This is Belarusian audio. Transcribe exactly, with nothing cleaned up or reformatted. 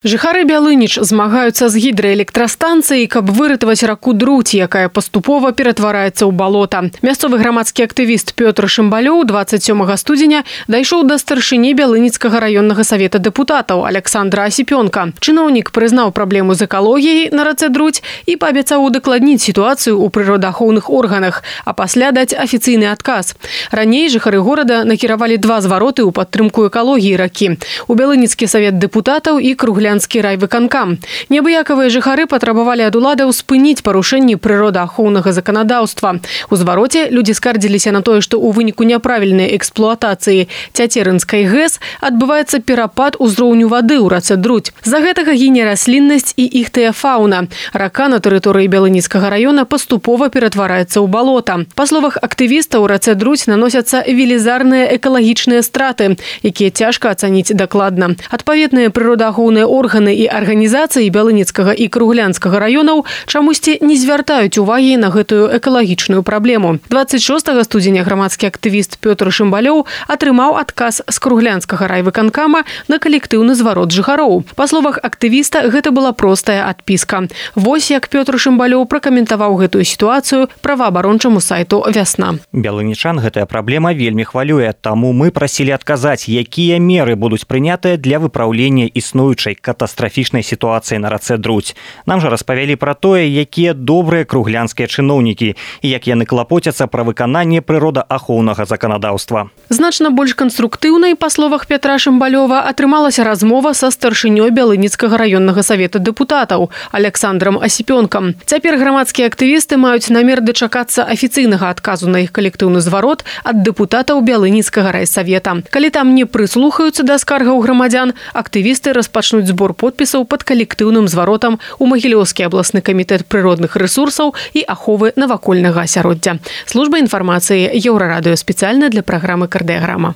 Жыхары Бялыніч змагаюцца з гідраэлектрастанцыяй, каб выратаваць раку Друць, якая паступова ператвараецца ў балота. Мясцовы грамадскі актывіст Пётр Шымбалёў двадцать сёмага студзеня дайшоў да старшыні Бялыніцкага раённага савета дэпутатаў Александра Асіпёнка. Чыноўнік прызнаў праблему з экалогіяй на рацэ Друць і паабяцаў удакладніць сітуацыю ў прыродаахоўных органах, а пасля даць афіцыйны адказ. Раней жыхары горада накіравалі два звароты ў падтрымку экалогіі ракі. У Бялыніцкі савет дэпутатаў і Круглянскі райвыканкам. Неабыякавыя жыхары патрабавалі ад уладаў спыніць парушэнні прыродаахоўнага заканадаўства. У звароце людзі скардзіліся на тое, што ў выніку няправільнай эксплуатацыі Цяцерынскай ГЭС адбываецца перапад узроўню вады ў рацэ Друць. З-за гэтага гіне расліннасць і іхтыяфауна. Рака на тэрыторыі Бялыніцкага раёна паступова ператвараецца ў балота. Па словах актывіста, у рацэ Друць наносяцца велізарныя экалагічныя страты, якія цяжка ацаніць дакладна. Адпаведныя прыродаахоўныя органы і арганізацыі Бялыніцкага і Круглянскага раёнаў чамусьці не звяртаюць увагі на гэтую экалагічную праблему. двадцать шостага студзеня грамадскі актывіст Пётр Шымбалёў атрымаў адказ з Круглянскага райвыканкама на калектыўны зварот жыхароў. Па словах актывіста, гэта была простая адпіска. Вось як Пётр Шымбалёў пракаментаваў гэтую сітуацыю праваабарончаму сайту «Вясна». Бялынічан гэтая праблема вельмі хвалюе, таму мы прасілі адказаць, якія меры будуць прынятыя для выпраўлення існуючай катастрафічнай сітуацыі на рацэ Друць. Нам жа распавялі пра тое, якія добрыя круглянскія чыноўнікі і як яны клапоцяцца пра выкананне прыродаахоўнага заканадаўства. Значна больш канструктыўнай, па словах Пятра Шымбалёва, атрымалася размова са старшынёй Бялыніцкага раённага савета дэпутатаў Александрам Асіпёнкам. Цяпер грамадскія актывісты маюць намер дачакацца афіцыйнага адказу на іх калектыўны зварот ад дэпутатаў Бялыніцкага райсавета. Калі там не прыслухаюцца да скаргаў грамадзян, актывісты распачнуць збор подпісаў пад калектыўным зваротам у Магілёўскі абласны камітэт прыродных рэсурсаў і аховы навакольнага асяроддзя. Служба інфармацыі Еўрарадыё спецыяльна для праграмы «Кардыяграма».